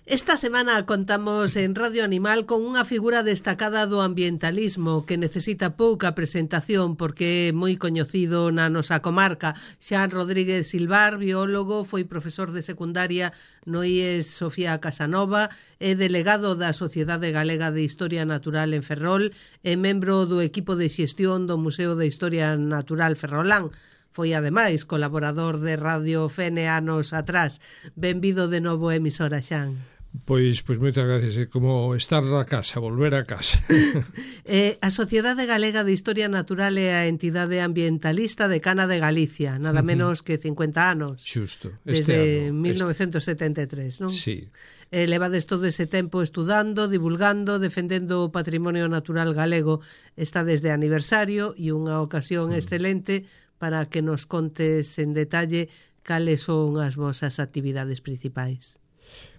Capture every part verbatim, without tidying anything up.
Esta semana contamos en Radio Animal con unha figura destacada do ambientalismo que necesita pouca presentación porque é moi coñecido na nosa comarca. Xan Rodríguez Silvar, biólogo, foi profesor de secundaria no I E S Sofía Casanova, é delegado da Sociedade Galega de Historia Natural en Ferrol e membro do equipo de xestión do Museo de Historia Natural Ferrolán. Foi, ademais, colaborador de Radio Fene anos atrás. Benvido de novo a emisora, Xan. Pois, pois moitas gracias. É como estar na casa, volver a casa. eh, a Sociedade Galega de Historia Natural é a entidade ambientalista de Cana de Galicia, nada menos que cincuenta anos. Xusto. Este desde ano, mil novecentos setenta e tres, non? Sí. Eh, levades todo ese tempo estudando, divulgando, defendendo o patrimonio natural galego. Está desde aniversario e unha ocasión mm. excelente para que nos contes en detalle cales son as vosas actividades principais.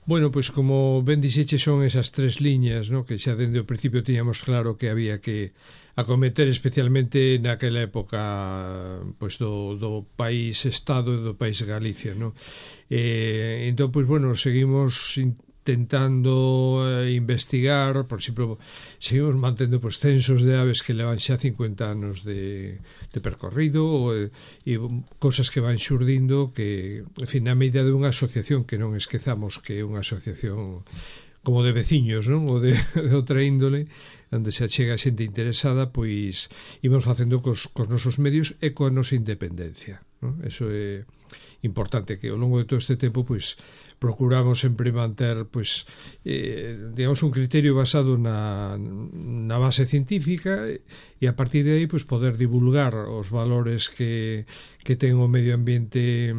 Bueno, pois como ben dixeche son esas tres liñas, ¿no? Que xa dende o principio tiñamos claro que había que acometer especialmente naquela época pois do, do país Estado e do país Galicia, ¿no? Eh, entón, pois bueno, seguimos intentando eh, investigar, por exemplo, seguimos mantendo pois, censos de aves que levan xa cincuenta anos de, de percorrido e, e cosas que van xurdindo que, en fin, na medida de unha asociación que non esquezamos que é unha asociación como de veciños, non? Ou de, de outra índole, onde se achega xente interesada, pois imos facendo cos, cos nosos medios e coa nosa independencia, non? Eso é importante, que ao longo de todo este tempo, pois, procuramos sempre manter, pois, eh, digamos, un criterio basado na, na base científica e a partir de aí, pois, poder divulgar os valores que, que ten o medio ambiente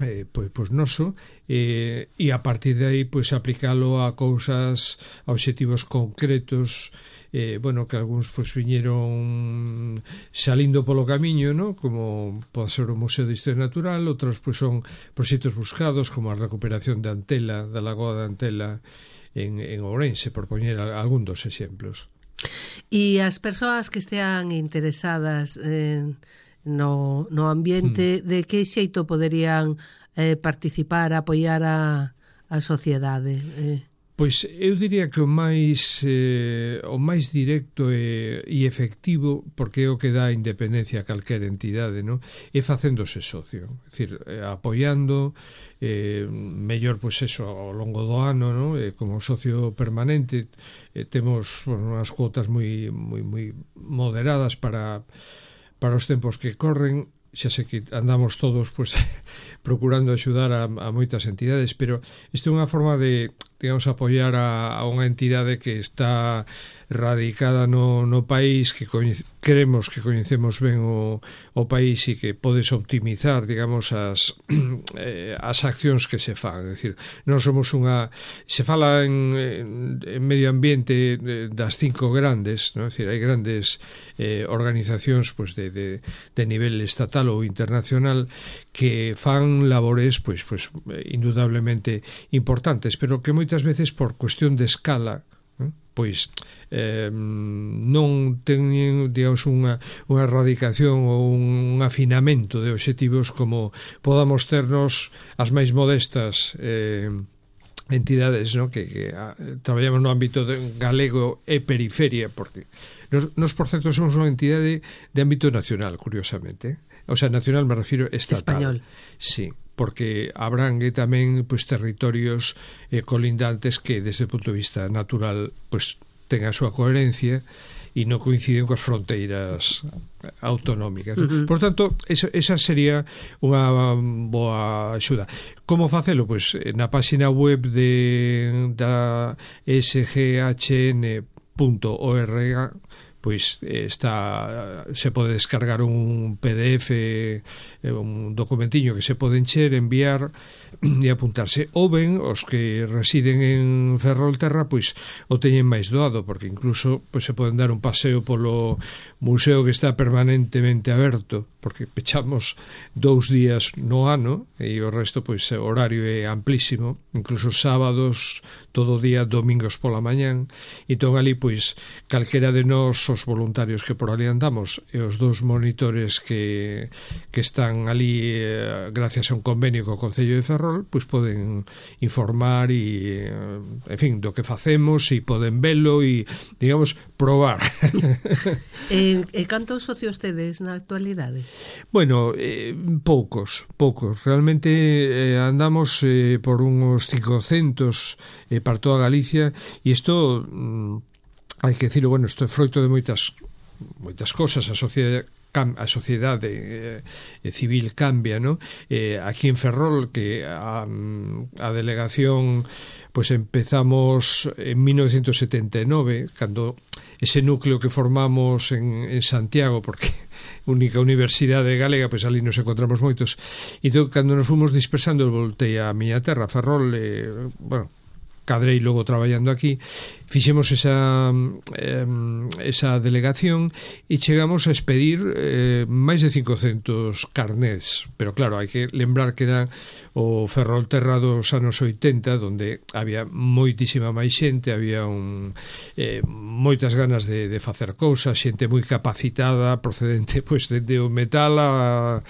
eh, pois, pois noso eh, e a partir de aí, pois, aplicalo a cousas, a obxectivos concretos, eh, bueno, que algúns pois viñeron salindo polo camiño, ¿no? Como pode ser o Museo de Historia Natural, outros pois son proxectos buscados como a recuperación de Antela, da Lagoa de Antela en, en Ourense, por poñer algún dos exemplos. E as persoas que estean interesadas en, no, no ambiente, hmm. de que xeito poderían eh, participar, apoiar a, a sociedade? Eh? Pois eu diría que o máis eh, o máis directo e, e efectivo, porque é o que dá independencia a calquera entidade, non? É facéndose socio, é dicir, eh, apoiando eh, mellor, pois eso, ao longo do ano, non? Eh, como socio permanente eh, temos, bueno, unhas cuotas moi moi moi moderadas para para os tempos que corren. Xa sei que andamos todos pues, procurando axudar a, a moitas entidades, pero isto é unha forma de, digamos, apoiar a, a unha entidade que está radicada no, no país, que coñece, creemos que coñecemos ben o, o país e que podes optimizar, digamos, as, eh, as accións que se fan. É dicir, non somos unha... Se fala en, en, en medio ambiente das cinco grandes, ¿no? É dicir, hai grandes eh, organizacións pues, de, de, de nivel estatal ou internacional que fan labores pois, pois, indudablemente importantes, pero que moitas veces por cuestión de escala eh, pois eh, non teñen, digamos, unha, unha erradicación ou un afinamento de obxectivos como podamos ternos as máis modestas eh, entidades, ¿no? que, que a, traballamos no ámbito de galego e periferia, porque nos, nos por certo somos unha entidade de ámbito nacional, curiosamente, o sea, nacional me refiro estatal. Español. Sí, porque abrangue tamén pois, territorios eh, colindantes que desde o punto de vista natural pois, ten a súa coherencia e non coinciden coas fronteiras autonómicas. Uh-huh. Por tanto, esa, esa sería unha boa axuda. Como facelo? Pois na página web de da S G H N punto org pois está, se pode descargar un P D F, un documentiño que se pode encher, enviar e apuntarse. Ou ben, os que residen en Ferrolterra, pois o teñen máis doado, porque incluso pois, se poden dar un paseo polo museo que está permanentemente aberto, porque pechamos dous días no ano e o resto, pois, o horario é amplísimo, incluso sábados, todo o día, domingos pola mañán. Entón, ali, pois, calquera de nós, os voluntarios que por ali andamos e os dous monitores que, que están ali eh, gracias a un convenio co Concello de Ferrol, Ferrol, pois poden informar e, en fin, do que facemos, e poden velo e, digamos, probar. E, e cantos socios tedes na actualidade? Bueno, eh, poucos, poucos. Realmente eh, andamos eh, por uns cincocentos eh, para toda Galicia, e isto, mm, hai que decirlo, bueno, isto é froito de moitas moitas cosas. A sociedade a sociedade eh, civil cambia, ¿no? Eh, aquí en Ferrol, que a, a delegación pues empezamos en mil novecientos setenta e nove, cando ese núcleo que formamos en, en Santiago, porque única universidade galega, pois ali nos encontramos moitos, e entón, cando nos fomos dispersando, voltei a miña terra, Ferrol, eh, bueno, cadrei logo traballando aquí, fixemos esa eh, esa delegación e chegamos a expedir eh, máis de cincocentos carnés, pero claro, hai que lembrar que era o Ferrolterra dos anos oitenta, donde había moitísima máis xente, había un, eh, moitas ganas de, de facer cousas, xente moi capacitada, procedente pois de, de o metal a,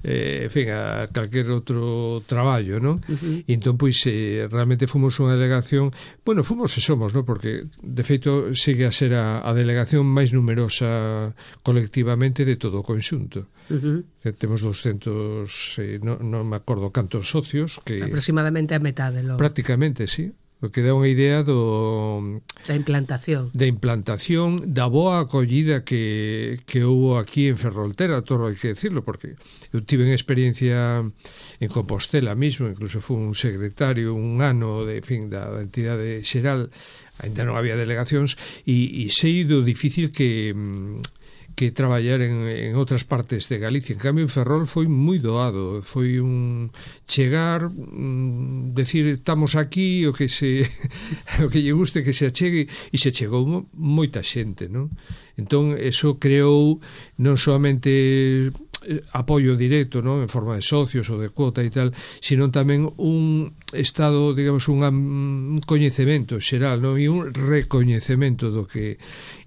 eh, en fin, a calquer outro traballo, non? Uh-huh. E entón, pois, eh, realmente fomos unha delegación, bueno, fomos e somos, non? Porque de feito sigue a ser a, a delegación máis numerosa colectivamente de todo o conxunto. Uh-huh. Temos doscientos, eh, non no me acordo cantos socios, que aproximadamente a metade, lo... prácticamente, sí. O que dá unha idea do da implantación. Da implantación, da boa acollida que, que houve aquí en Ferrolterra, todo hai que decirlo, porque eu tive unha experiencia en Compostela mismo, incluso fui un secretario un ano de, en fin, da, da entidade xeral, ainda non había delegacións, e, e sei do difícil que que traballar en, en outras partes de Galicia. En cambio, en Ferrol foi moi doado, foi un chegar, un, decir, estamos aquí, o que se o que lle guste que se achegue, e se chegou moita xente, non? Entón, eso creou non solamente apoio directo, ¿no?, en forma de socios ou de cuota e tal, sino tamén un estado, digamos, un, un coñecemento xeral, ¿no?, e un recoñecemento do que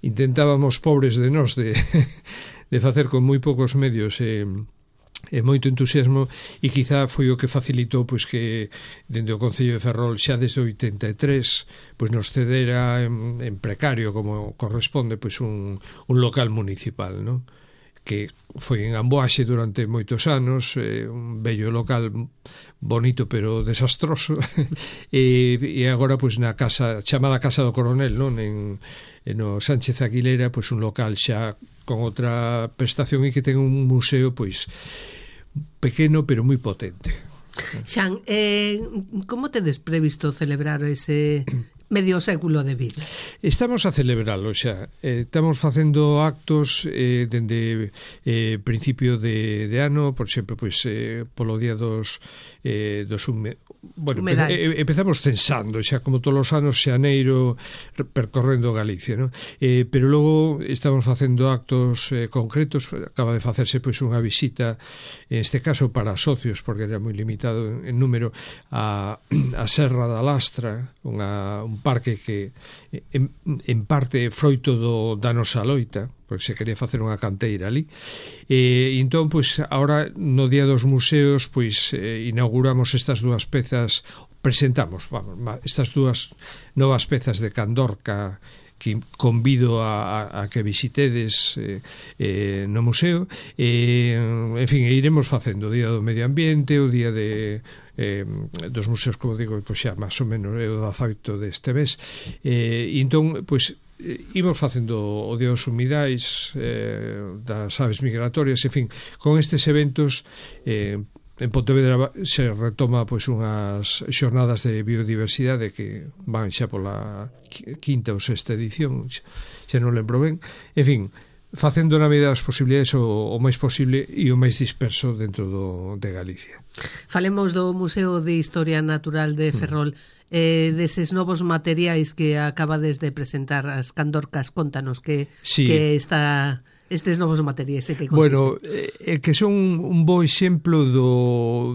intentábamos pobres de nós de, de facer con moi poucos medios e, e moito entusiasmo, e quizá foi o que facilitou pois que dende o Concello de Ferrol xa desde o oitenta e tres pois nos cedera en, en precario, como corresponde, pois un, un local municipal, ¿no?, que foi en Amboaxe durante moitos anos, eh, un bello local bonito pero desastroso, e, e agora pois na casa chamada Casa do Coronel, non, en, en o Sánchez Aguilera, pois un local xa con outra prestación e que ten un museo pois pequeno pero moi potente. Xan, eh, como tedes previsto celebrar ese medio século de vida? Estamos a celebralo xa. Eh, estamos facendo actos eh, dende eh, principio de, de ano, por exemplo, pois, eh, polo día dos, eh, dos hume... bueno, eh, empezamos censando xa como todos os anos xaneiro percorrendo Galicia, ¿no? Eh, pero logo estamos facendo actos eh, concretos. Acaba de facerse pois unha visita, en este caso para socios, porque era moi limitado en, en número, a, a Serra da Lastra, unha, un parque que en, en parte froito do, da nosa loita, porque se quería facer unha canteira ali, e, e entón, pois, agora no Día dos Museos, pois, eh, inauguramos estas dúas pezas, presentamos, vamos, estas dúas novas pezas de Candorca, que convido a, a, a que visitedes eh, eh, no museo, e, en fin, iremos facendo o Día do Medio Ambiente, o Día de eh, dos museos, como digo, pois xa máis ou menos é o dezaoito deste mes, eh, e entón, pois, imos facendo o Día dos Humidais, eh, das aves migratorias, en fin, con estes eventos. eh, En Pontevedra se retoma pois unhas xornadas de biodiversidade que van xa pola quinta ou sexta edición, xa non lembro ben. En fin, facendo na medida das posibilidades o, o máis posible e o máis disperso dentro do, de Galicia. Falemos do Museo de Historia Natural de Ferrol, mm. eh, deses novos materiais que acabades de presentar, as Candorcas. Contanos que, sí. que está... estes novos materiais, e que consiste? Bueno, é que son un bo exemplo do,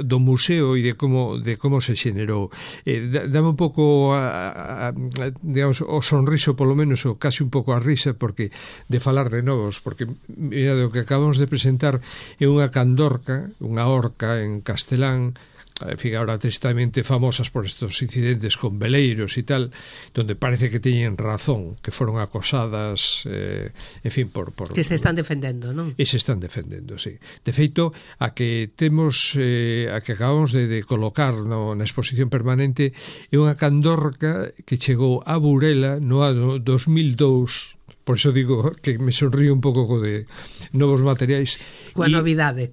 do museo e de como de como se xenerou. Eh, dame un pouco a, a, a, digamos, o sonriso, polo menos, ou casi un pouco a risa, porque de falar de novos, porque mira, o que acabamos de presentar é unha candorca, unha orca en castelán, en fin, ahora tristemente famosas por estos incidentes con veleiros e tal, donde parece que teñen razón, que foron acosadas, eh, en fin, por, por... Que se están defendendo, non? E se están defendendo, sí. De feito, a que temos, eh, a que acabamos de, de colocar no, na exposición permanente é unha candorca que chegou a Burela no ano dos mil dous. Por iso digo que me sonrío un pouco co de novos materiais. Coa y... novidade.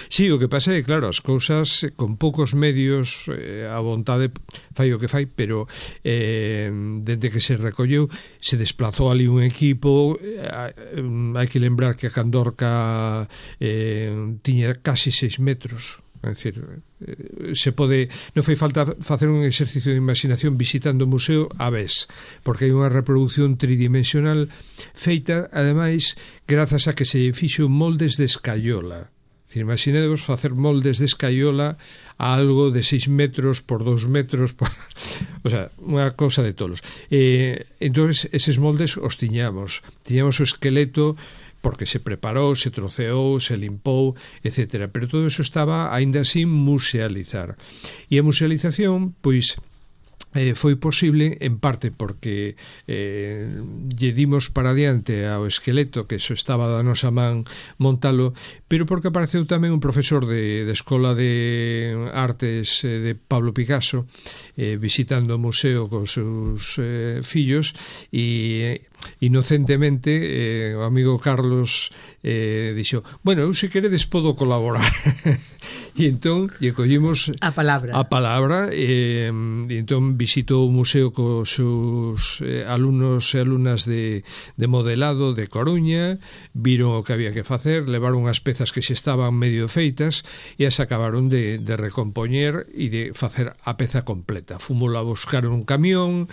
Sí, o que pasa é que, claro, as cousas con poucos medios, eh, a vontade fai o que fai, pero eh, dende que se recolleu se desplazou ali un equipo. eh, hai que lembrar que a candorca eh, tiña casi seis metros. É dicir, se pode, non fai falta facer un exercicio de imaginación visitando o museo a vez, porque hai unha reproducción tridimensional feita, ademais, grazas a que se fixo moldes de escaiola. Imaginemos facer moldes de escaiola a algo de seis metros por dos metros, por... o sea, unha cousa de tolos. Eh, entón, eses moldes os tiñamos. Tiñamos o esqueleto porque se preparou, se troceou, se limpou, etcétera. Pero todo eso estaba aínda sin musealizar. E a musealización, pois, eh, foi posible en parte porque eh, lle dimos para diante ao esqueleto, que eso estaba da nosa man montalo, pero porque apareceu tamén un profesor de, de Escola de Artes eh, de Pablo Picasso eh, visitando o museo con seus eh, fillos e... Eh, inocentemente eh, o amigo Carlos eh, dixo, bueno, eu se queredes podo colaborar. E entón lle collimos a palabra a palabra e, e entón visitou o museo cos seus eh, alumnos e alumnas de, de modelado de Coruña, viron o que había que facer, levaron as pezas que se estaban medio feitas e as acabaron de, de recompoñer e de facer a peza completa. Fomos a buscar un camión,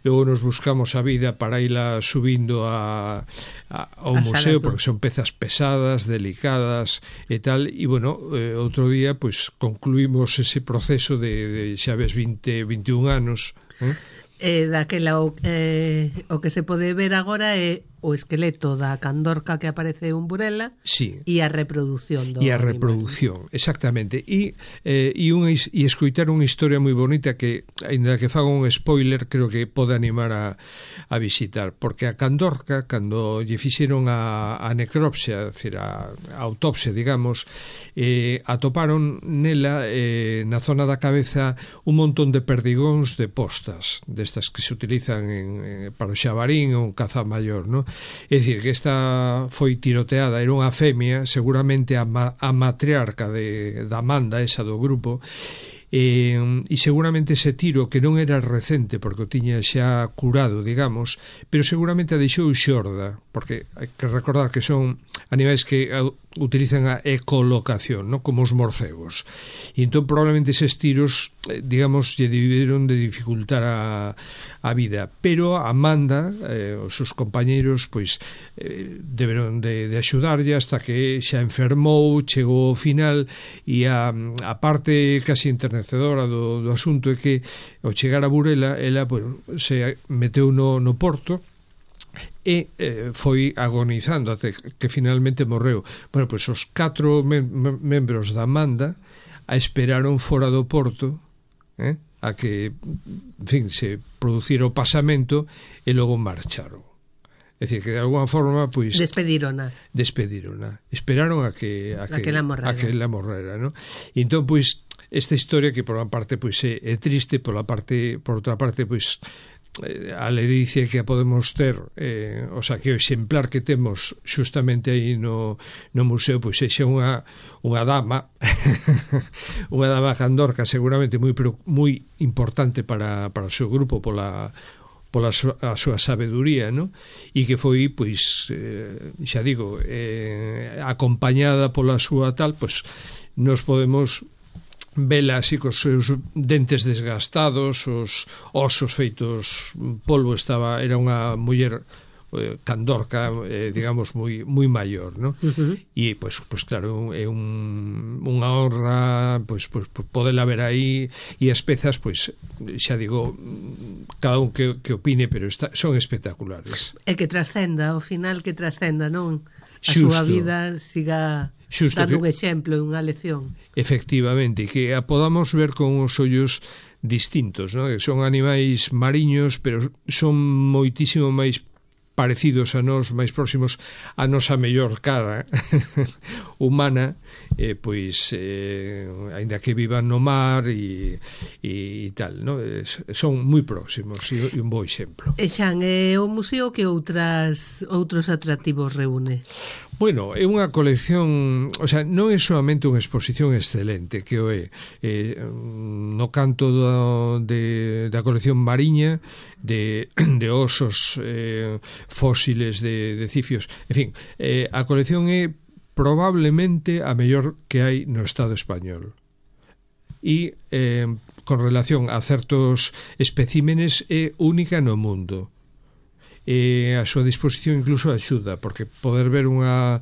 logo nos buscamos a vida para ila subindo a, a, ao a museo, porque son pezas pesadas, delicadas e tal, e bueno, eh, outro día pois concluímos ese proceso de, de xa ves vinte, veintiún anos, eh? Eh, daquela o, eh, o que se pode ver agora é o esqueleto da candorca que aparece en Burela, sí, e a reproducción do e a animal. reproducción, exactamente. E eh, e unha e escoitar unha historia moi bonita que, aínda que faga un spoiler, creo que pode animar a, a visitar, porque a candorca, cando lle fixeron a, a necropsia, decir, a, a autopsia, digamos, eh, atoparon nela, eh, na zona da cabeza, un montón de perdigóns de postas, destas que se utilizan en, en, para o xabarín ou un caza maior, non? É dicir, que esta foi tiroteada, era unha femia, seguramente a, ma, a matriarca de, da Amanda, esa do grupo, e, e seguramente ese tiro, que non era recente porque o tiña xa curado, digamos, pero seguramente a deixou xorda, porque hai que recordar que son animais que utilizan a ecolocación, ¿no? Como os morcegos, e entón probablemente eses tiros, digamos, lle debieron de dificultar a, a vida, pero a Amanda, eh, os seus compañeiros, pois eh, deberon de, de axudarlle hasta que xa enfermou, chegou ao final, e a, a parte casi enternecedora do, do asunto é que ao chegar a Burela ela, bueno, se meteu no, no porto e eh, foi agonizando até que finalmente morreu. Bueno, pois os catro mem membros da Amanda a esperaron fora do porto, eh, a que, en fin, se producira o pasamento e logo marcharon. É dicir, que de alguna forma, pois... Despedírona. Despedírona. Esperaron a que... A que, a que la morrera. A que la morrera, ¿no? E entón, pois, esta historia que por unha parte, pois, é, é triste, por, la parte, por outra parte, pois... a ledicia que a podemos ter, eh, o sea, que o exemplar que temos xustamente aí no, no museo, pois sexa unha, unha dama unha dama candorca seguramente moi, moi importante para, para o seu grupo pola, pola súa, a súa sabeduría, ¿no? E que foi, pois, eh, xa digo, eh, acompañada pola súa tal, pois nos podemos vela así cos seus dentes desgastados, os osos feitos polvo, estaba, era unha muller eh, candorca, eh, digamos, moi moi maior, ¿no? Uh-huh. E, pois, pois claro, é un, unha honra, pois, pois, podela ver aí, e as pezas, pois, xa digo, cada un que, que opine, pero está, son espectaculares. E que trascenda, ao final que trascenda, non? A Xusto. súa vida siga... Xusto dando que, un exemplo, unha lección. Efectivamente, que a podamos ver con os ollos distintos, ¿no? Son animais mariños, pero son moitísimo máis parecidos a nós, máis próximos a nosa mellor cara humana, eh, pois eh, aínda que vivan no mar e, e tal, no? Son moi próximos e, e un bo exemplo. E Xan, é o museo que outras outros atractivos reúne? Bueno, é unha colección, o sea, non é solamente unha exposición excelente, que o é eh, no canto do, de, da colección mariña, de, de osos eh, fósiles, de, de cifios, en fin, eh, a colección é probablemente a mellor que hai no Estado español. E eh, con relación a certos especímenes é única no mundo. E a súa disposición incluso axuda, porque poder ver unha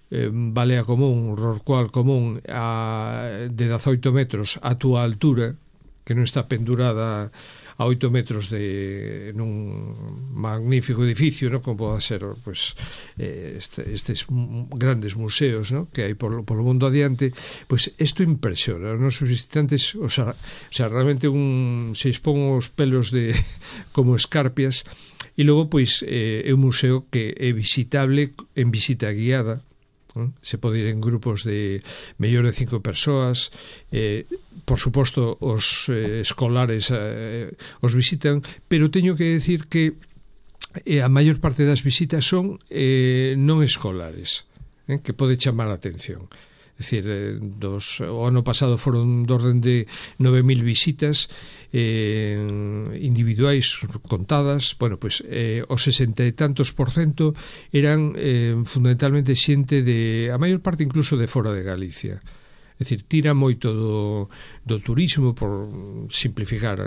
eh, balea común, un rorcual común a, de dezaoito metros a túa altura, que non está pendurada a oito metros de nun magnífico edificio, ¿no? Como pode ser pues, eh, este, estes grandes museos, ¿no? Que hai por, por o mundo adiante, pues isto impresiona. Os nosos visitantes, o sea, o sea realmente un, se expón os pelos de como escarpias. E logo, pois, eh, é un museo que é visitable en visita guiada, eh? Se pode ir en grupos de mellor de cinco persoas, eh, por suposto os eh, escolares eh, os visitan, pero teño que decir que eh, a maior parte das visitas son eh, non escolares, eh, que pode chamar a atención. É dicir, eh, dos, o ano pasado foron de orden de nove mil visitas eh, individuais contadas. Bueno, pues eh, o sesenta e tantos por cento eran eh, fundamentalmente xente de, a maior parte incluso de fora de Galicia. É dicir, tira moito do, do turismo, por simplificar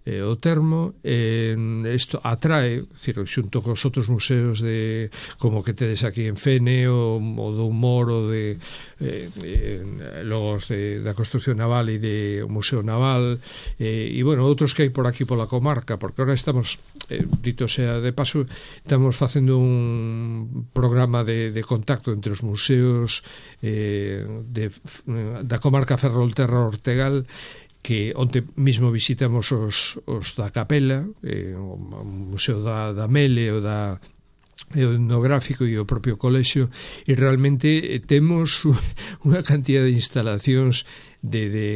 eh, o termo, eh, isto atrae, decir, xunto cos outros museos de como que tedes aquí en Fene, o, o do humor, o de eh, eh, logo os de, da construcción naval e de o Museo Naval, eh, e bueno, outros que hai por aquí pola comarca, porque ahora estamos, eh, dito sea de paso, estamos facendo un programa de, de contacto entre os museos eh, de, da comarca Ferrolterra Ortegal, que onte mismo visitamos os, os da Capela, eh, o Museo da, da Mele, o da o etnográfico e o propio colexio, e realmente eh, temos unha cantidad de instalacións de, de,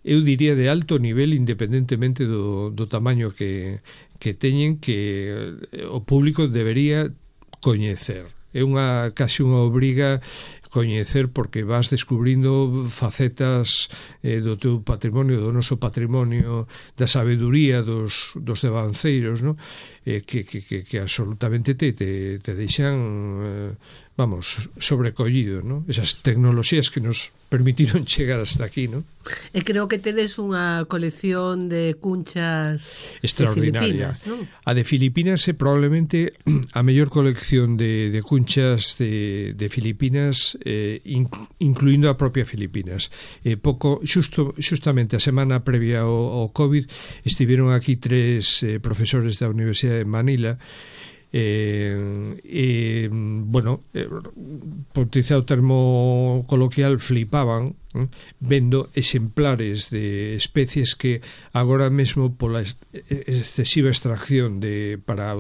eu diría, de alto nivel, independentemente do, do tamaño que, que teñen, que o público debería coñecer. É unha casi unha obriga coñecer, porque vas descubrindo facetas eh, do teu patrimonio, do noso patrimonio, da sabeduría dos, dos devanceiros, ¿no? eh, que, que, que, que absolutamente te, te, te deixan eh, vamos, sobrecollido, ¿no? Esas tecnoloxías que nos permitiron chegar hasta aquí, ¿no? E creo que tedes unha colección de cunchas extraordinaria. De Filipinas, ¿no? A de Filipinas é probablemente a mellor colección de, de cunchas de, de Filipinas, eh, incluindo a propia Filipinas. Eh, pouco, xusto, justamente a semana previa ao, ao COVID estiveron aquí tres eh, profesores da Universidade de Manila. Eh, eh, bueno, eh, por utilizar o termo coloquial, flipaban eh, vendo exemplares de especies que agora mesmo pola excesiva extracción de para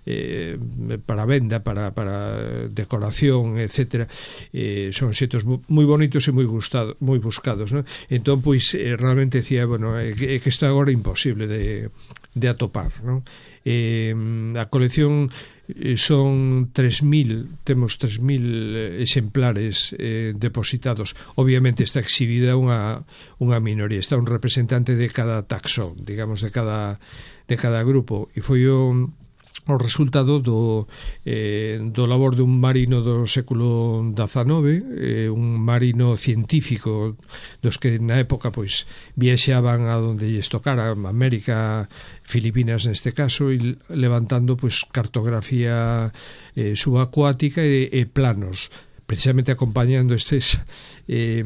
eh, para venda, para, para decoración, etcétera, eh, son xetos moi bonitos e moi gustados, moi buscados, ¿no? Entón, pois, eh, realmente decía, bueno, é eh, que, que isto agora é imposible de, de atopar, ¿no? Eh, a colección eh, son tres mil, temos tres mil exemplares eh, depositados. Obviamente está exhibida unha, unha minoría, está un representante de cada taxón, digamos, de cada, de cada grupo, e foi o o resultado do, eh, do labor dun marino do século dezanove, eh, un marino científico dos que na época pois viaxaban a donde lles tocara, América, Filipinas neste caso, e levantando pois cartografía eh, subacuática e, e planos, precisamente acompañando estes eh,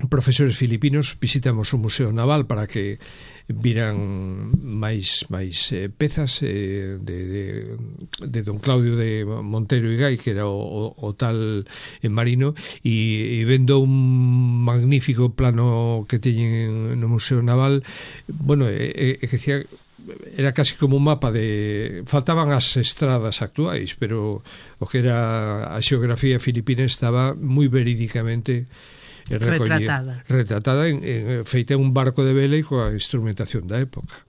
profesores filipinos. Visitamos o Museo Naval para que viran máis máis eh, pezas eh, de, de, de don Claudio de Montero e Gai, que era o, o, o tal eh, marino, e, e vendo un magnífico plano que teñen no Museo Naval, bueno, e, e que decía, era casi como un mapa de... faltaban as estradas actuais, pero o que era a xeografía filipina estaba moi verídicamente retratada, retratada en, en, feita en un barco de vela e coa instrumentación da época.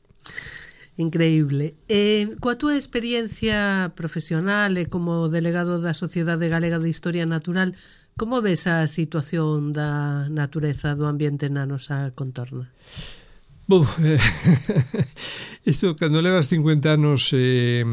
Increíble. Eh, coa túa experiencia profesional e como delegado da Sociedade Galega de Historia Natural, como ves a situación da natureza do ambiente na nosa contorna? Buf, eh, isto, cando levas cincuenta anos... Eh,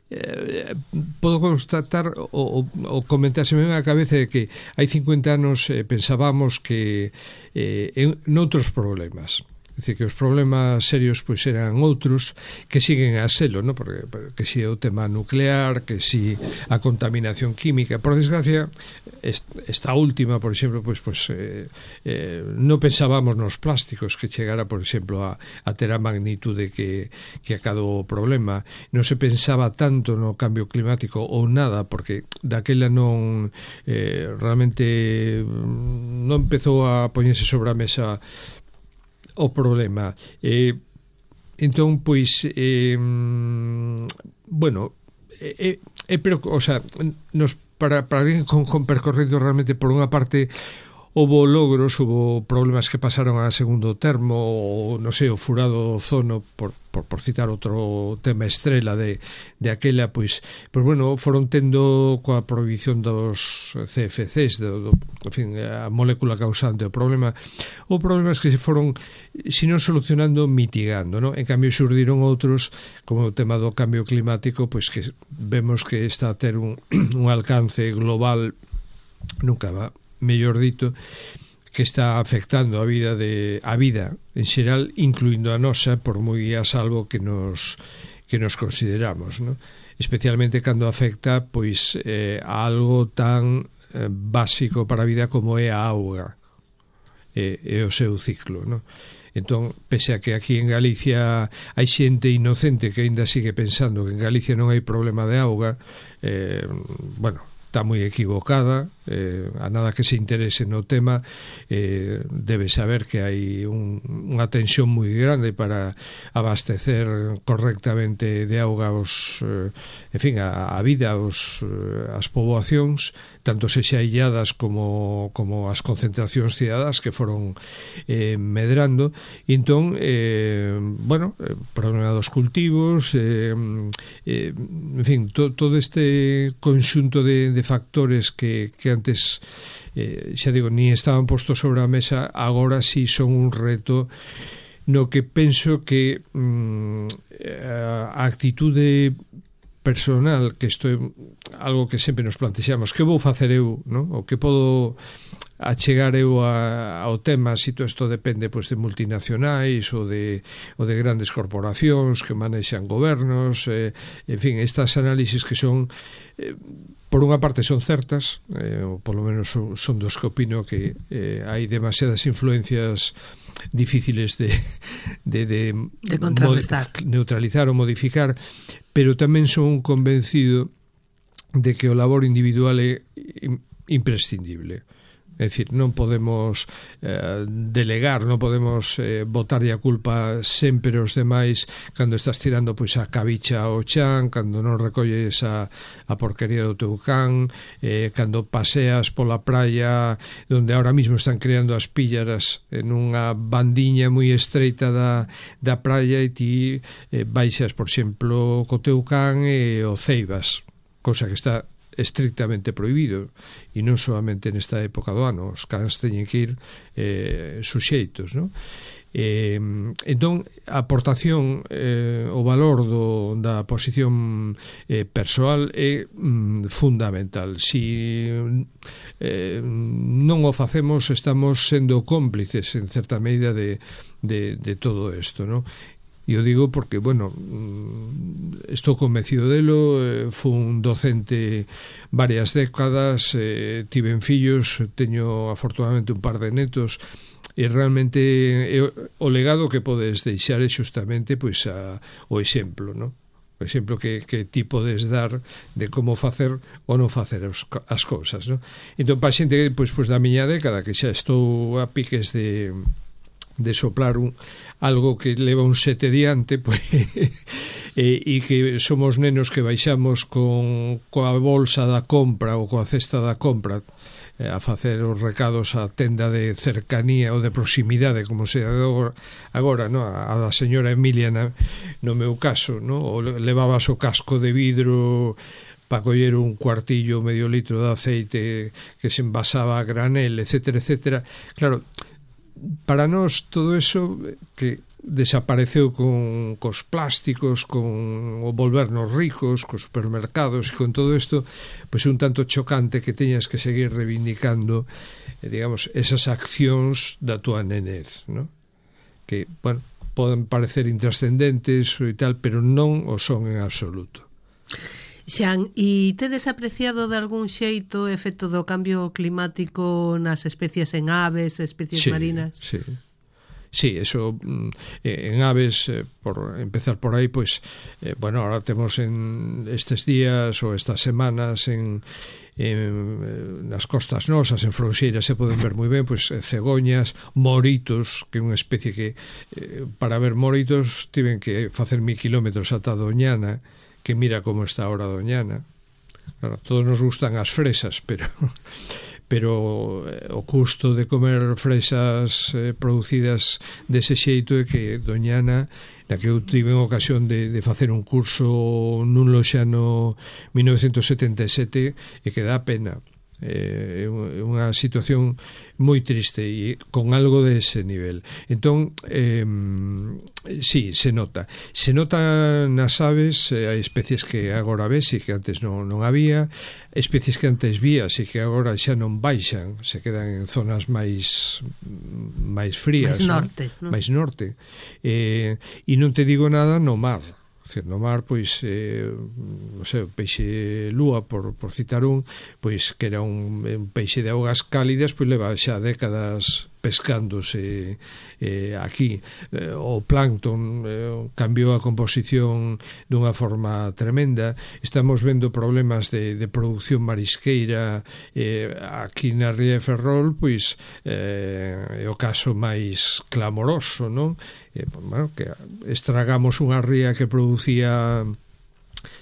Eh, podo constatar o, o comentárseme na cabeza de que hai cincuenta anos eh, pensábamos que eh, en noutros problemas, é dicir, que os problemas serios pois eran outros que siguen a selo, ¿no? Porque que si é o tema nuclear, que si a contaminación química, por desgracia esta última, por exemplo, pois, pois eh, eh, non pensábamos nos plásticos que chegara, por exemplo, a, a ter a magnitude que, que acadou o problema. Non se pensaba tanto no cambio climático ou nada, porque daquela non eh, realmente non empezou a poñerse sobre a mesa o problema. Eh, entón, pois, eh, bueno, eh, eh, pero, o sea, nos, para, para alguén con, con percorrido realmente, por unha parte, houbo logros, houbo problemas que pasaron a segundo termo, ou, non sei, o furado do ozono, por, por, por citar outro tema estrela de, de aquela, pois, pois, bueno, foron tendo coa prohibición dos C F Cs, do, do, en fin, a molécula causante do problema, ou problemas que se foron, se non solucionando, mitigando, ¿no? En cambio, xurdiron outros, como o tema do cambio climático, pois que vemos que está a ter un, un alcance global, nunca va, mellor dito, que está afectando a vida de a vida en xeral, incluindo a nosa, por moi a salvo que nos que nos consideramos, ¿no? Especialmente cando afecta pois eh, a algo tan eh, básico para a vida como é a auga e, e o seu ciclo, ¿no? Entón, pese a que aquí en Galicia hai xente inocente que aínda sigue pensando que en Galicia non hai problema de auga, eh, bueno, está moi equivocada, eh, a nada que se interese no tema, eh, debe saber que hai un, unha tensión moi grande para abastecer correctamente de auga os, eh, en fin, a, a vida, os, eh, as poboacións, tanto sexa illadas como, como as concentracións cidadás que foron eh, medrando, e entón, eh, bueno, eh, problema dos cultivos, eh, eh, en fin, to, todo este conxunto de, de factores que, que antes, eh, xa digo, ni estaban postos sobre a mesa, agora sí son un reto no que penso que mm, a actitude personal, que isto é algo que sempre nos plantexamos, que vou facer eu, non? O que podo achegar eu a, ao tema, se todo isto depende pois, de multinacionais ou de, ou de grandes corporacións que manexan gobernos, eh, en fin, estas análisis que son eh, por unha parte son certas, eh, ou polo menos son, son dos que opino que eh, hai demasiadas influencias difíciles de, de, de, de contrarrestar, neutralizar ou modificar, pero tamén son convencido de que o labor individual é imprescindible. É dicir, non podemos eh, delegar, non podemos eh, botarlle a culpa sempre aos demais cando estás tirando pois a cabicha ao chan, cando non recolles a, a porquería do teu can, eh, cando paseas pola praia onde ahora mismo están creando as píllaras en unha bandiña moi estreita da, da praia e ti eh, baixas, por exemplo, co teu can e o ceibas, cousa que está estrictamente prohibido, e non solamente nesta época do ano, os cans teñen que ir eh, suxeitos, non? Eh, entón, a aportación, eh, o valor do, da posición eh, persoal é mm, fundamental. Si eh, non o facemos, estamos sendo cómplices en certa medida de, de, de todo isto, non? E o digo porque, bueno, estou convencido delo, eh, fui un docente varias décadas, eh, tiven fillos, teño afortunadamente un par de netos, e realmente eh, o legado que podes deixar é justamente pois, a, o exemplo, non? O exemplo que, que ti podes dar de como facer ou non facer os, as cousas, non? Entón, para xente pois, pois, da miña década, que xa estou a piques de de soplar un, algo que leva un sete diante, pois, e, e que somos nenos que baixamos con coa bolsa da compra ou coa cesta da compra eh, a facer os recados á tenda de cercanía ou de proximidade, como se agora, agora no? a, a da señora Emilia na, no meu caso, no? Ou levabas o casco de vidro para coller un cuartillo, medio litro de aceite que se envasaba a granel, etcétera, etcétera. Claro, para nós todo eso que desapareceu con cos plásticos, con o volvernos ricos, cos supermercados e con todo isto, pois un tanto chocante que teñas que seguir reivindicando, eh, digamos, esas accións da tua nenez, ¿no? Que, bueno, poden parecer intrascendentes e tal, pero non o son en absoluto. Xan, e tedes apreciado de algún xeito o efecto do cambio climático nas especies en aves, especies sí, marinas? Sí, sí, eso eh, en aves, eh, por empezar por aí, pois, eh, bueno, ahora temos en estes días ou estas semanas en en, nas costas nosas, en Fronxeira se poden ver moi ben, pois, cegoñas, moritos, que é unha especie que eh, para ver moritos tiven que facer mil kilómetros ata Doñana, que mira como está ahora Doñana. Claro, todos nos gustan as fresas, pero pero eh, o custo de comer fresas eh, producidas dese xeito é que Doñana, na que eu tive en ocasión de, de facer un curso nun loxano mil novecentos setenta e sete, e que dá pena. É eh, unha situación moi triste e con algo de ese nivel. Entón, eh, sí, se nota. Se nota nas aves, eh, hai especies que agora ves e que antes non, non había, especies que antes vías e que agora xa non baixan, se quedan en zonas máis máis frías, máis norte, non? máis norte. Eh, e non te digo nada no mar. No mar, pois, eh, non sei, o peixe lúa, por, por citar un, pois, que era un, un peixe de augas cálidas, pois leva xa décadas pescándose eh, aquí. Eh, o plancton eh, cambiou a composición dunha forma tremenda. Estamos vendo problemas de, de produción marisqueira eh, aquí na Ría de Ferrol, pois eh, é o caso máis clamoroso, non? Eh, bueno, que estragamos unha ría que producía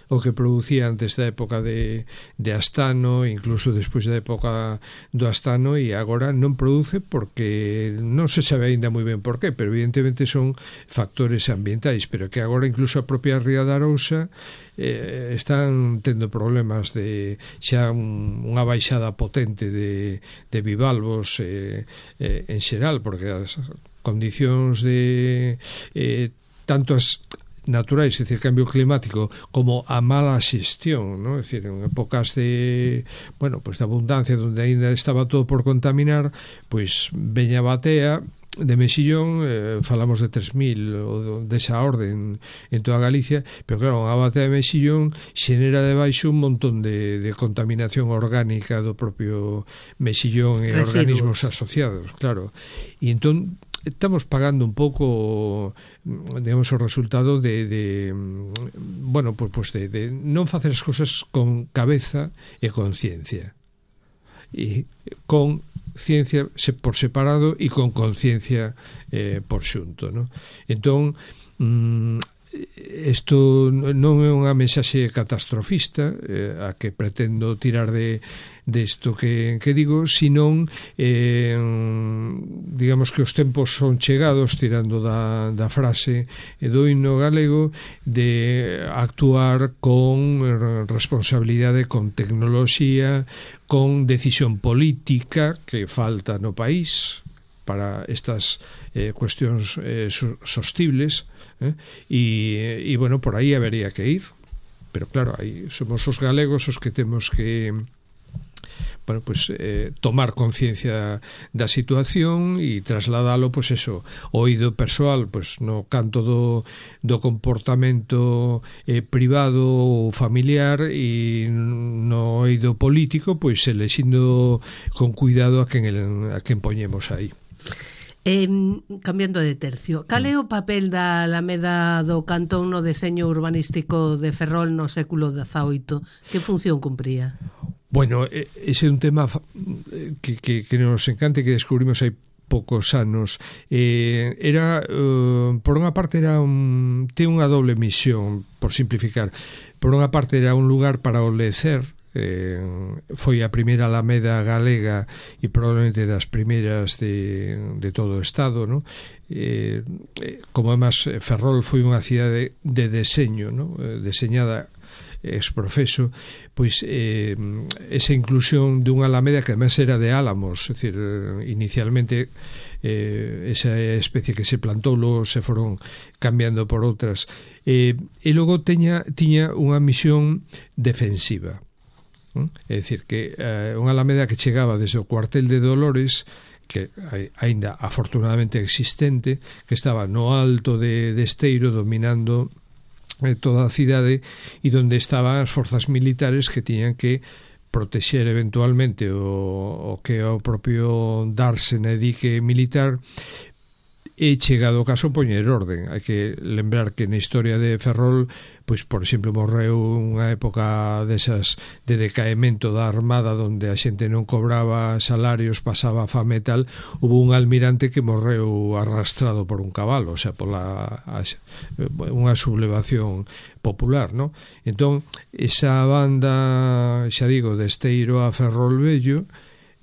o que producía antes da época de, de Astano, incluso despois da época do Astano, e agora non produce porque non se sabe ainda moi ben por qué, pero evidentemente son factores ambientais, pero que agora incluso a propia Ría da Arousa eh, están tendo problemas de xa un, unha baixada potente de, de bivalvos eh, eh, en xeral, porque as condicións de eh, tanto as naturais, é dicir, cambio climático, como a mala xestión, ¿no? É dicir, en épocas de, bueno, pues de abundancia, onde ainda estaba todo por contaminar, pois veña batea de mexillón, eh, falamos de tres mil ou desa orden en toda Galicia, pero claro, a batea de mexillón xenera debaixo un montón de, de contaminación orgánica do propio mexillón e residuos, organismos asociados, claro. E entón estamos pagando un pouco, digamos, o resultado de, de bueno, pues, pues de, de non facer as cousas con cabeza e con ciencia, e con ciencia por separado e con conciencia eh, por xunto, ¿no? Entón, mm, isto non é unha mensaxe catastrofista eh, a que pretendo tirar de desto que, que digo, senón eh, digamos que os tempos son chegados, tirando da, da frase do himno galego, de actuar con responsabilidade, con tecnoloxía, con decisión política que falta no país para estas eh, cuestións eh, sostibles, eh? e, e bueno, por aí habería que ir, pero claro, aí somos os galegos os que temos que bueno, pues eh, tomar conciencia da situación e trasladalo, pues eso, o oído persoal, pues no canto do, do comportamento eh, privado ou familiar, e no oído político, pues elexindo con cuidado a quen, el, a quen poñemos aí. Eh, cambiando de tercio, cal é o papel da Alameda do Cantón no deseño urbanístico de Ferrol no século dezaoito? Que función cumpría? Bueno, ese é un tema que, que, que nos encanta, que descubrimos hai poucos anos. Eh, era, uh, por unha parte, era un, ten unha doble misión, por simplificar. Por unha parte, era un lugar para o lecer. Eh, foi a primeira Alameda galega e probablemente das primeiras de, de todo o Estado, ¿no? Eh, como además Ferrol foi unha cidade de deseño, ¿no? Eh, deseñada ex profeso, pois eh, esa inclusión dunha Alameda que además era de álamos, é dicir, inicialmente eh, esa especie que se plantou, logo se foron cambiando por outras, eh, e logo teña, tiña unha misión defensiva. É dicir, que eh, unha Alameda que chegaba desde o cuartel de Dolores, que aínda afortunadamente existente, que estaba no alto de, de Esteiro, dominando eh, toda a cidade, e onde estaban as forzas militares que tiñan que protexer eventualmente o, o que é o propio dársena e dique militar, e chegado o caso poñer orden. Hai que lembrar que na historia de Ferrol, pois, por exemplo, morreu unha época desas de decaemento da armada, onde a xente non cobraba salarios, pasaba fame e tal. Hubo un almirante que morreu arrastrado por un cabalo, o sea, pola a, unha sublevación popular, ¿no? Entón, esa banda, xa digo, de Esteiro a Ferrol Vello,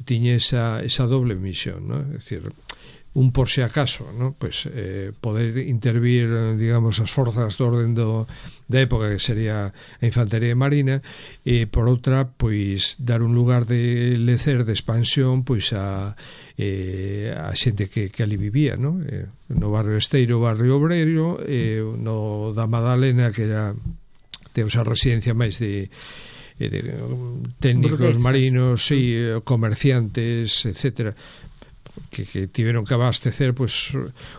tiña esa, esa doble misión, ¿no? É dicir, un por si acaso, ¿no? Pues eh, poder intervir, digamos, as forzas do orden do, da época, que sería a infantería marina, e por outra, pois dar un lugar de lecer, de expansión, pois a eh, a xente que, que ali vivía, ¿no? Eh, no barrio Esteiro, barrio Obreiro, eh, no da Madalena, que era de esa residencia máis de de técnicos burguesas, marinos, sí, comerciantes, etcétera, que, que tiveron que abastecer, pues,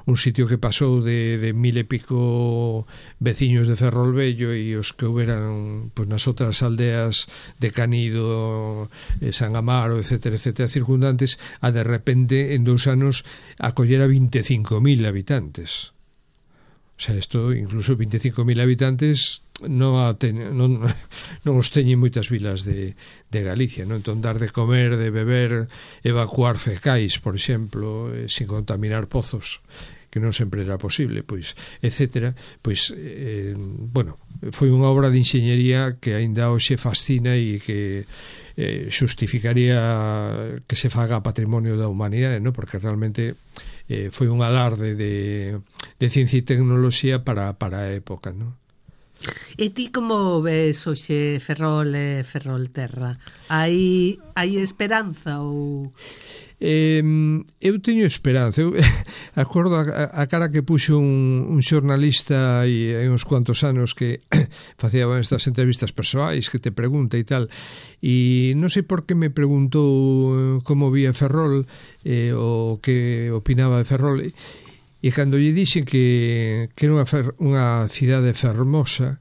un sitio que pasou de, de mil e pico veciños de Ferrol Vello, e os que houberan, pues, nas outras aldeas de Canido, eh, San Amaro, etcétera, etcétera, circundantes, a de repente en dous anos acoller a vinte e cinco mil habitantes. O sea, isto, incluso vinte e cinco mil habitantes non, ten, non, non os teñen moitas vilas de, de Galicia, non? Entón, dar de comer, de beber, evacuar fecais, por exemplo, eh, sin contaminar pozos, que non sempre era posible, pois, etcétera, pois, eh, bueno, foi unha obra de enxeñería que aínda hoxe fascina e que eh, xustificaría que se faga patrimonio da humanidade, non? Porque realmente eh, foi un alarde de, de ciencia e tecnoloxía para, para a época, non? E ti como ves hoxe Ferrol e Ferrolterra? Hai, hai esperanza ou... Eh, eu teño esperanza. Eu acordo a, a cara que puxo un, un xornalista hai, hai uns cuantos anos que facía estas entrevistas persoais que te pregunta e tal, e non sei por que me preguntou como vía Ferrol, eh, o que opinaba de Ferrol, e cando lle dixen que, que era unha, fer, unha cidade fermosa,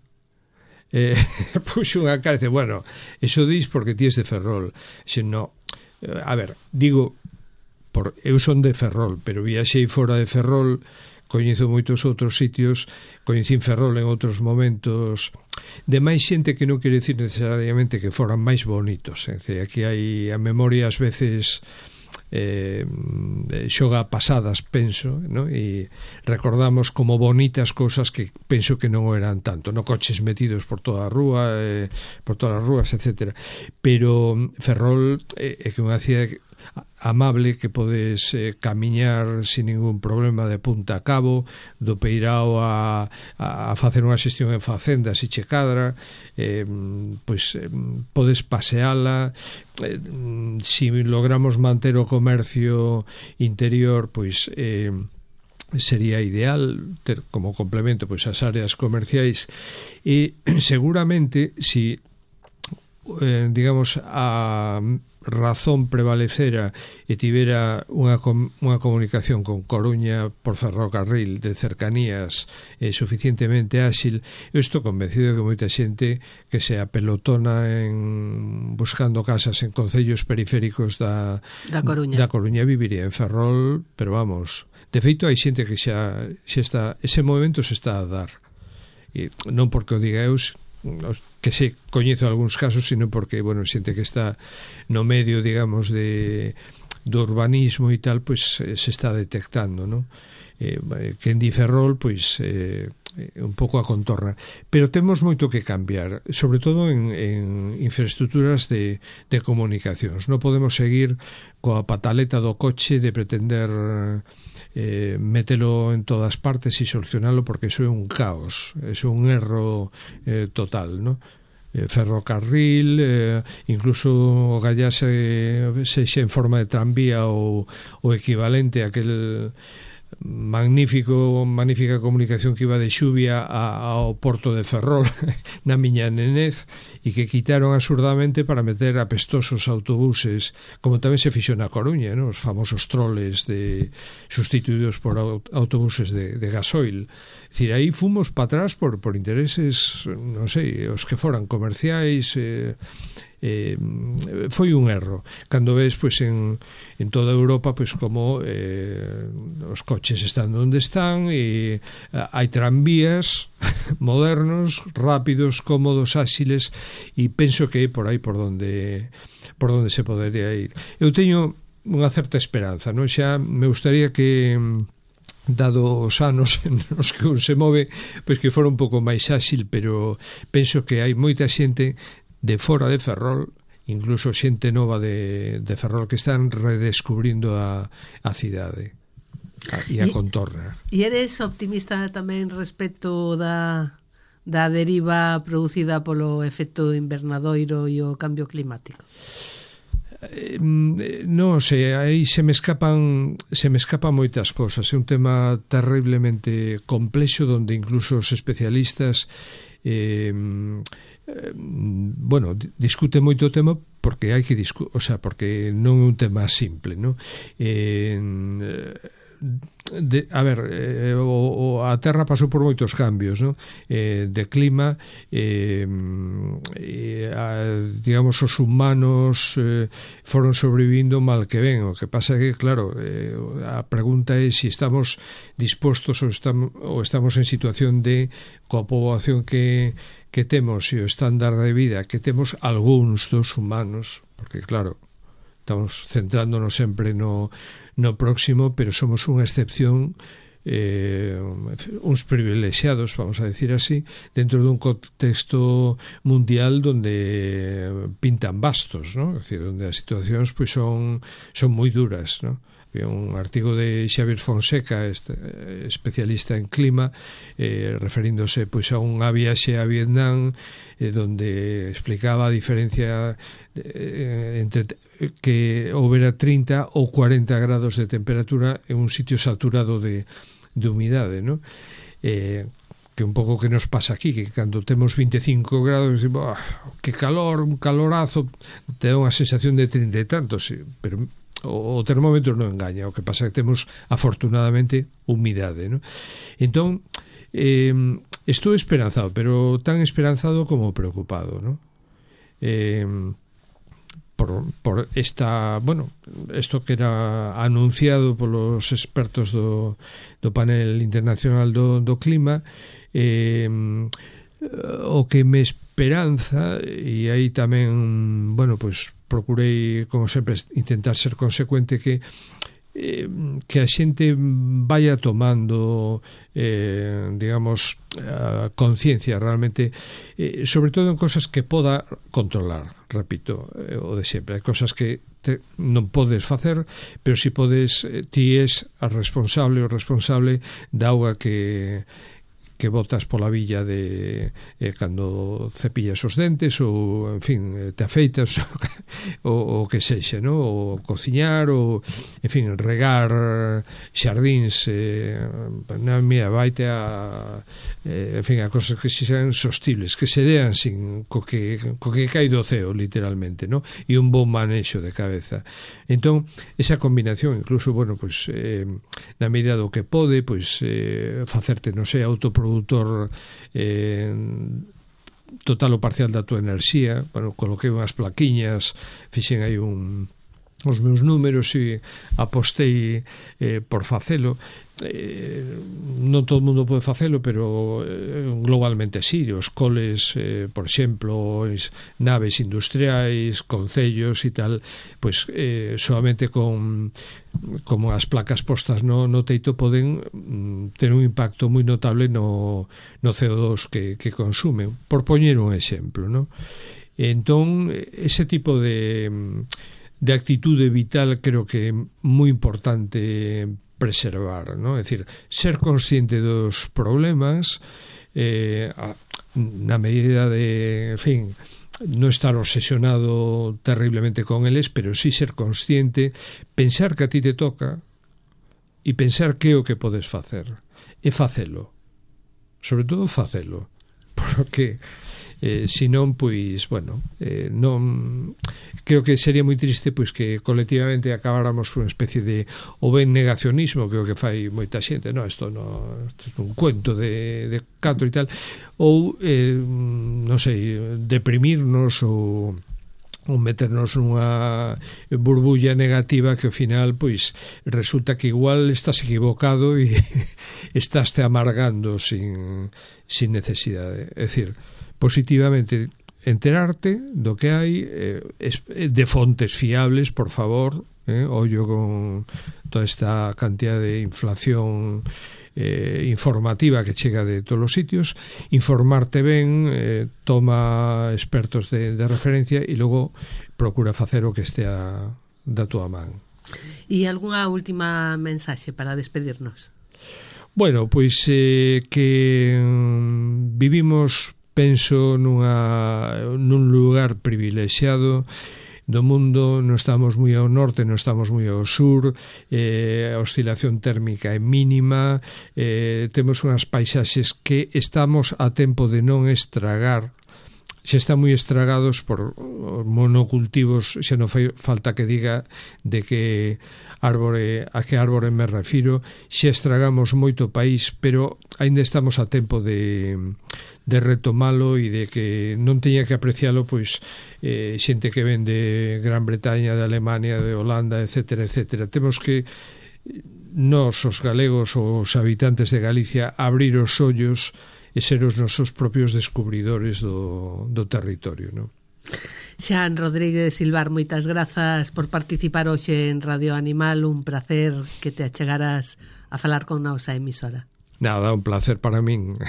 eh, puxo unha cara e dice, bueno, eso dis porque ti es de Ferrol. Xe, no, a ver, digo, por, eu son de Ferrol, pero viaxei fora de Ferrol, coñezo moitos outros sitios, coñecín Ferrol en outros momentos de máis xente, que non quere decir necesariamente que foran máis bonitos, é dicir, aquí hai a memoria ás veces eh, xoga pasadas, penso, ¿no? E recordamos como bonitas cousas que penso que non eran tanto, no coches metidos por toda a rúa, eh, por todas as rúas, etcétera. Pero Ferrol é eh, que unha cidade amable, que podes eh, camiñar sin ningún problema de punta a cabo, do Peirao a, a, a facer unha xestión en facendas e che cadra, eh, pois eh, podes paseala, eh, si logramos manter o comercio interior, pois eh, sería ideal ter como complemento pois as áreas comerciais, e seguramente si eh, digamos a razón prevalecera e tivera unha, com, unha comunicación con Coruña por ferrocarril de cercanías eh, suficientemente áxil, eu estou convencido que moita xente que se apelotona en buscando casas en concellos periféricos da, da Coruña, da Coruña viviría en Ferrol, pero vamos, de feito hai xente que xa, xa está, ese movimento se está a dar, e non porque o diga eu, que se coñezo algúns casos, sino porque, bueno, xente que está no medio, digamos, de do urbanismo e tal, pois pues, se está detectando, ¿no? Eh, que en di Ferrol, pois eh, un pouco a contorna, pero temos moito que cambiar, sobre todo en, en infraestructuras de, de comunicacións. Non podemos seguir coa pataleta do coche de pretender eh, metelo en todas partes e solucionalo, porque iso é un caos, iso é un erro eh, total, ¿no? Eh, ferrocarril, eh, incluso o gallase sexa en forma de tranvía ou o equivalente a aquel magnífico magnífica comunicación que iba de Xuvia a, ao porto de Ferrol na miña nenez, e que quitaron absurdamente para meter apestosos autobuses, como tamén se fixo na Coruña, ¿no? Os famosos troles de sustituídos por autobuses de, de gasoil. É dicir, aí fomos para atrás por, por intereses, non sei, os que foran comerciais, eh, eh, foi un erro. Cando ves, pois, en, en toda Europa, pois, como eh, os coches están onde están, e hai tranvías modernos, rápidos, cómodos, áxiles, e penso que é por aí por onde por onde se podería ir. Eu teño unha certa esperanza, non? Xa me gustaría que, dado os anos nos que un se move, pois que fora un pouco máis áxil, pero penso que hai moita xente de fora de Ferrol, incluso xente nova de, de Ferrol, que están redescubrindo a, a cidade e a contorna. E eres optimista tamén respecto da, da deriva producida polo efecto invernadoiro e o cambio climático? Eh, non sei, aí se me escapan se me escapan moitas cosas. É un tema terriblemente complexo, donde incluso os especialistas eh, eh, bueno, discute moito o tema, porque hai que discu- o sea, porque non é un tema simple, ¿no? Eh, de, a ver, eh, o, o, a Terra pasou por moitos cambios, ¿no? Eh, de clima, eh, eh, a, digamos, os humanos eh, foron sobrevivindo mal que ven. O que pasa é que, claro, eh, a pregunta é se si estamos dispostos ou estamos, ou estamos en situación de, coa poboación que, que temos e o estándar de vida que temos algúns dos humanos, porque, claro, estamos centrándonos sempre no no próximo, pero somos unha excepción, eh, uns privilexiados, vamos a decir así, dentro dun contexto mundial donde pintan bastos, ¿no? Es decir, donde as situacións pois son son moi duras, ¿no? Había un artigo de Xavier Fonseca, este, especialista en clima, eh, referíndose pois a unha viaxe a Vietnam, eh, donde explicaba a diferencia eh, entre que houbera trinta ou cuarenta grados de temperatura en un sitio saturado de, de humidade, ¿no? Eh, que un pouco que nos pasa aquí, que cando temos vinte e cinco grados, oh, que calor, un calorazo, te dá unha sensación de trinta e tantos, pero o termómetro non engaña. O que pasa é que temos afortunadamente humidade, ¿no? Entón eh, estou esperanzado, pero tan esperanzado como preocupado, ¿no? Eh, por, por esta, bueno, isto que era anunciado polos expertos do, do panel internacional do, do clima, eh, o que me esperanza, e aí tamén, bueno, pois procurei, como sempre, intentar ser consecuente, que eh, que a xente vaya tomando eh, digamos a conciencia realmente, eh, sobre todo en cosas que poda controlar, repito, eh, o de sempre. Hai cosas que te, non podes facer, pero si podes, eh, ti es a responsable o responsable da auga que que botas pola villa de eh, cando cepillas os dentes ou, en fin, te afeitas o, o que sexa, no? O cociñar ou, en fin, regar xardíns, eh, na mía, vaite a eh, en fin, a cosas que sean sostibles, que se dean sin co que, co que cai do ceo, literalmente, no? E un bon manexo de cabeza. Entón, esa combinación, incluso, bueno, pues, eh, na medida do que pode, pues, eh, facerte, non sei, autoproductor eh, total ou parcial da tua enerxía. Bueno, coloquei unhas plaquiñas, fixen aí un os meus números e apostei eh, por facelo. Eh, non todo o mundo pode facelo, pero eh, globalmente sí. Os coles, eh, por exemplo, es, naves industriais, concellos e tal, pues eh, solamente con como as placas postas no, no teito poden mm, ter un impacto moi notable no, no C O dos que, que consumen, por poñer un exemplo, no? Entón, ese tipo de de actitude vital creo que é moi importante preservar, ¿no? É dicir, ser consciente dos problemas, eh, a, na medida de, en fin, non estar obsesionado terriblemente con eles, pero sí ser consciente, pensar que a ti te toca e pensar que é o que podes facer e facelo, sobre todo facelo, porque Eh, senón, pois, bueno, eh, non creo que sería moi triste pois que colectivamente acabáramos con unha especie de o ben negacionismo, que é o que fai moita xente, no, isto non, isto é un cuento de, de canto e tal, ou eh, non sei, deprimirnos ou ou meternos nunha burbulla negativa que ao final pois resulta que igual estás equivocado e estás te amargando sin, sin necesidade. É dicir, positivamente enterarte do que hai, eh, de fontes fiables, por favor, eh, ollo con toda esta cantidad de inflación eh, informativa que chega de todos os sitios, informarte ben, eh, toma expertos de, de referencia e logo procura facer o que estea da tua man. E algunha última mensaxe para despedirnos? Bueno, pois eh, que mm, vivimos, penso, nunha, nun lugar privilexiado do mundo. Non estamos moi ao norte, non estamos moi ao sur, eh, a oscilación térmica é mínima, eh, temos unhas paisaxes que estamos a tempo de non estragar, xa están moi estragados por monocultivos, xa non fai falta que diga de que árbore, a que árbore me refiro, xa estragamos moito país, pero aínda estamos a tempo de de retomalo e de que non teña que aprecialo pois eh, xente que ven de Gran Bretaña, de Alemania, de Holanda, etcétera, etcétera. Temos que nós, os galegos, os habitantes de Galicia, abrir os ollos e ser os nosos propios descubridores do, do territorio, non? Xan Rodríguez Silvar, moitas grazas por participar hoxe en Radio Animal, un placer que te achegaras a falar con nosa emisora. Nada, un placer para min.